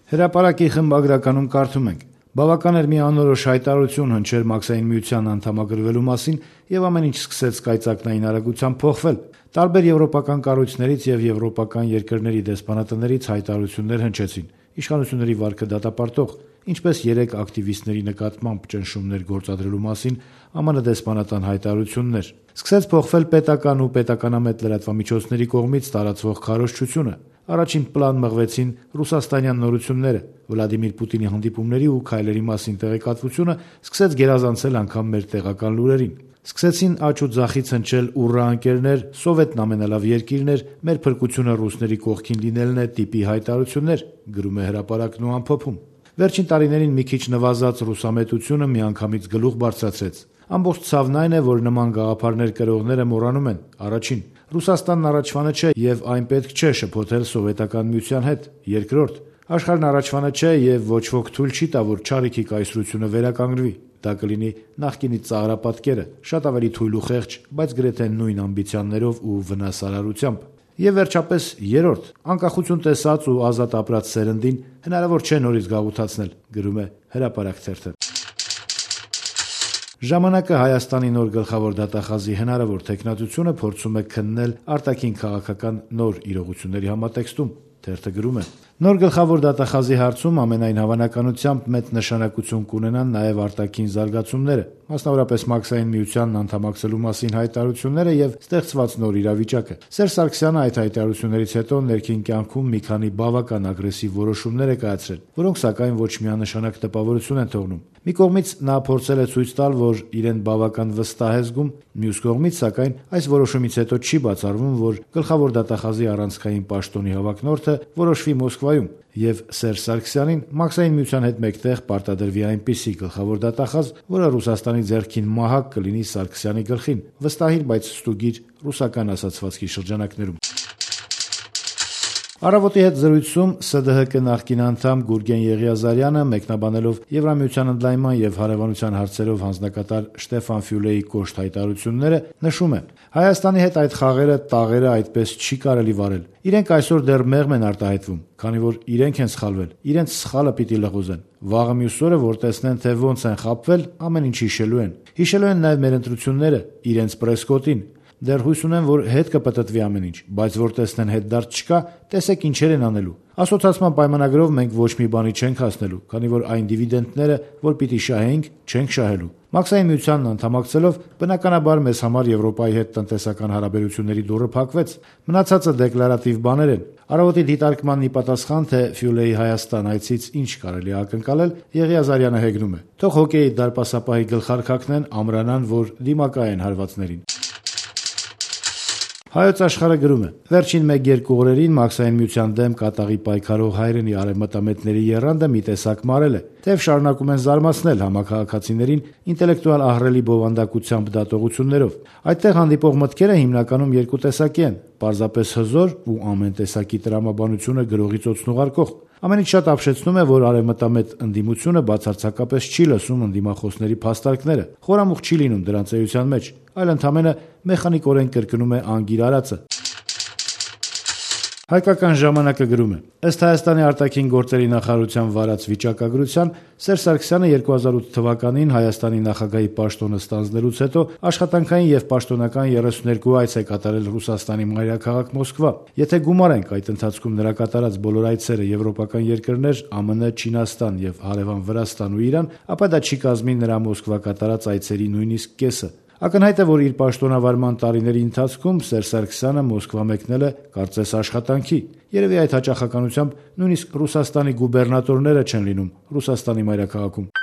Հրապարակի խմբագրականում կարդում ենք. «Բավական էր մի անորոշ հայտարարություն հնչեր Մաքսային միության անդամագրվելու մասին եւ ամեն ինչ սկսեց կայծակնային արագությամբ փոխվել։ Տարբեր եվրոպական կառույցներից եւ եվրոպական երկրների դեսպանատներից հայտարարություններ հնչեցին, իշխանությունների վարկը դատապարտող, ինչպես 3 ակտիվիստների նկատմամբ ճնշումներ գործադրելու մասին ԱՄՆ դեսպանատան հայտարարություններ։ Սկսեց փոխվել պետական ու պետականամետ լրատվամիջոցների կողմից տարածվող քարոզչությունը։ Առաջին պլան մղվեցին ռուսաստանյան նորությունները, Վլադիմիր Պուտինի հանդիպումների ու քայլերի մասին տեղեկատվությունը սկսեց գերազանցել անգամ մեր տեղական լուրերին։ Սկսեցին աճ ու ձախից հնչել ուռա ընկերներ, Սովետն ամենալավ երկիրն էր, մեր փրկությունը ռուսների կողքին լինելն է տիպի հայտարարություններ», գրում է հրապարակն ու ամփոփում։ Վերջին տարիներին մի քիչ նվազած ռուսամետությունը միանգամից գլուխ բարձրացրեց։ Ամբողջ ցավն այն է, որ նման գաղափարներ կրողները մոռանում են. առաջին, Ռուսաստանն առաջվանը չէ եւ այն պետք չէ շփոթել Սովետական միության հետ։ Երկրորդ, աշխարհն առաջվանը չէ եւ ոչ ոք թույլ չի տա, որ չարիքի կայսրությունը վերականգնվի։ Դա կլինի նախկինի ծաղրապատկերը, շատ ավելի թույլ ու խեղճ, բայց գրեթե նույն ամբիցիաներով ու վնասարարությամբ։ Եվ վերջապես երրորդ, անկախություն տեսած ու ազատ ապրած սերնդին հնարավոր չէ նորից գաղութացնել, գրում է Հրապարակ թերթը։ Ժամանակը Հայաստանի նոր գլխավոր դատախազի հնարավոր թեկնածությունը փորձում է քննել արտաքին քաղաքական նոր իրողությունների համատեքստում։ Թերթը գրում է. Նոր գլխավոր դատախազի հարցում ամենայն հավանականությամբ մեծ նշանակություն կունենան նաև արտաքին զարգացումները, մասնավորապես Մաքսային միությանն անդամակցելու մասին հայտարարությունները եւ ստեղծված նոր իրավիճակը։ Սերժ Սարգսյանը այդ հայտարարություններից հետո ներքին կյանքում մի քանի բավական ագրեսիվ որոշումներ է կայացրել, որոնք սակայն ոչ միանշանակ տպավորություն են թողնում։ Մի կողմից նա փորձել է ցույց տալ, որ իրեն բավական վստահ է զգում, մյուս կողմից սակայն այս որոշումից հետո չի բացառվում, որ գլխավոր դատախազի առանցքային պաշտոնի հավակնորդը որոշվի Մոսկվայում եւ Սերժ Սարգսյանին Մաքսային միության հետ մեկտեղ պարտադրվի այնպիսի գլխավոր դատախազ, որը Ռուսաստանի ձեռքին մահակ կլինի Սարգսյանի գլխին, վստահիր, բայց ստուգիր ռուսական ասացվածքի շրջանակներում։ Առավոտի հետ զրույցում ՍԴՀԿ նախկին անդամ Գուրգեն Եղիազարյանը մեկնաբանելով Եվրամիության ընդլայնման եւ հարևանության հարցերով հանձնակատար Շտեֆան Ֆյուլեի կոշտ հայտարարությունները նշում է. Հայաստանի հետ այդ խաղերը, տաղերը այդպես չի կարելի վարել։ Իրենք այսօր դեռ մեղմ են արտահայտվում, քանի որ իրենք են սխալվել, իրենց սխալը պիտի լղոզեն։ Վաղը մյուս օրը, որ տեսնեն, թե ոնց են խաբվել, ամեն ինչ հիշելու են։ Հիշելու են նաեւ մեր ընտրությունները, իրենց պրեսկոտին։ Դեռ հույս ունեմ, որ հետ կպտտվի ամեն ինչ, բայց որ տեսնեն հետ դարձ չկա, տեսեք ինչեր են անելու։ Ասոցիացիան պայմանագրով մենք ոչ մի բանի չենք հասնելու, քանի որ այն դիվիդենդները, որ պիտի շահենք, չենք շահելու։ Մաքսային միությանն անդամակցելով, բնականաբար մեզ համար Եվրոպայի հետ տնտեսական հարաբերությունների դուռը փակվեց։ Մնացածը դեկլարատիվ բաներ են։ Առավոտի դիտարկմանն ի պատասխան, թե Ֆյուլեի Հայաստան այցից ինչ կարելի է ակնկալել, Եղիազարյանը հեգնում է. Թող հոկեյի դարպասապահի գլխարկակն են ամրանան, որ դիմակայեն հարվածներին։ Հայոց աշխարհը գրում է. Վերջին 1-2 օրերին Մաքսային միության դեմ կատաղի պայքարող հայրենի արևմտամետների եռանդը մի տեսակ մարել է, թեև շարունակում են զարմացնել համաքաղաքացիներին ինտելեկտուալ ահռելի բովանդակությամբ դատողություններով։ Այդտեղ հանդիպող մտքերը հիմնականում երկու տեսակի են՝ պարզապես հզոր ու ամեն տեսակի տրամաբանությունը գրողից օծնուղարկող։ Ամենից շատ ապշեցնում է, որ արևմտամետ ընդդիմությունը բացարձակապես չի լսում ընդդիմախոսների փաստարկները, խորամուխ չի լինում դրանց էության մեջ, այլ ընդամենը մեխանիկորեն կրկնում է անգիր արածը։ Հայկական ժամանակը գրում է. ըստ Հայաստանի արտաքին գործերի նախարարության վարած վիճակագրության, Սերժ Սարգսյանը 2008 թվականին Հայաստանի նախագահի պաշտոնը ստանձնելուց հետո աշխատանքային եւ պաշտոնական 32 այց է կատարել Ռուսաստանի մայրաքաղաք Մոսկվա։ Եթե գումարենք այդ ընթացքում նրա կատարած բոլոր այցերը եվրոպական երկրներ, ԱՄՆ, Չինաստան եւ հարևան Վրաստան ու Իրան, ապա դա չի կազմի նրա Մոսկվա կատարած այցերի նույնիսկ կեսը։ Ակնհայտ է, որ իր պաշտոնավարման տարիների ընթացքում Սերժ Սարգսյանը Մոսկվա մեկնել է կարծես աշխատանքի։ Երևի այդ հաճախականությամբ նույնիսկ Ռուսաստանի գուբերնատորները չեն լինում Ռուսաստանի մայրաքաղաքում։